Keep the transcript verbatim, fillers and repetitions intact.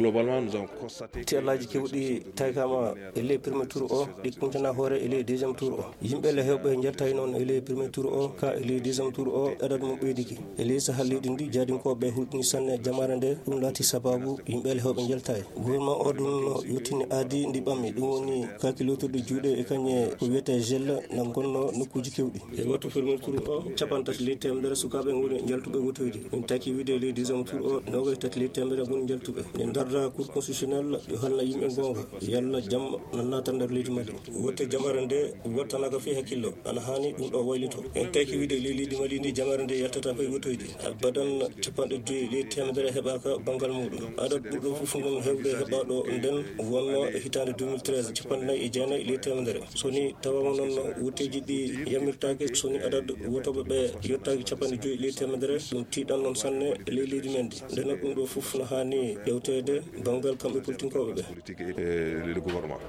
Globalement, nous avons constaté. Tiyallaaji keewɗi taykama e ley premier tour o, ɗi kuntana hoore e ley deuxième tour o. Yimɓe le heewɓe njaltayi noon e ley premier tour o, ka e ley deuxième tour o, adadu mum ɓeydiki. E ley sahal leydi ndi, jaadinkooɓe hulɓini sanne jamaare nde, ɗum laati sababu yimɓe le heewɓe njaltayi. Gouvernement o ɗum no yottini aadi ndi ɓammi, ɗum woni kaaki lootirɗi juuɗe e kañe ko wiyetee gel na ngonno nokkuuji keewɗi. E wattu premier tour o, capanɗe tati ley teemedere sukaaɓe ngoni njaltuɓe wotoyde. Min taki wiide ley deuxième tour o, noogay tati ley teemedere ngoni njaltuɓe. Min darda Cour constitutionnelle yo halna yimɓe goonga, yalla jam na naata nder leydi Mali. Wotte jamaare nde wattanaaka fii hakkillo, ana haani ɗum ɗo waylito. En taki wiide ley leydi Mali ndi jamaare nde yaltata fay wotoyde. Abadan capanɗe joyi ley teemedere heɓaaka banngal muuɗum. Adad ɓurɗo fof ngon heewde heɓaaɗo nden wonno e hitaande deux mille treize, capanɗe nayi e jeenayi ley teemedere. So ni tawaama noon wotteeji ɗi yammirtaake, so ni adad wotooɓe ɓe yottaaki capanɗe joyi ley teemedere, ɗum tiiɗan noon sanne e ley leydi men ndi. Ndeno ɗum ɗo fof no haani ƴewteede banngal kamɓe politinkooɓe ɓe. Politique et le gouvernement.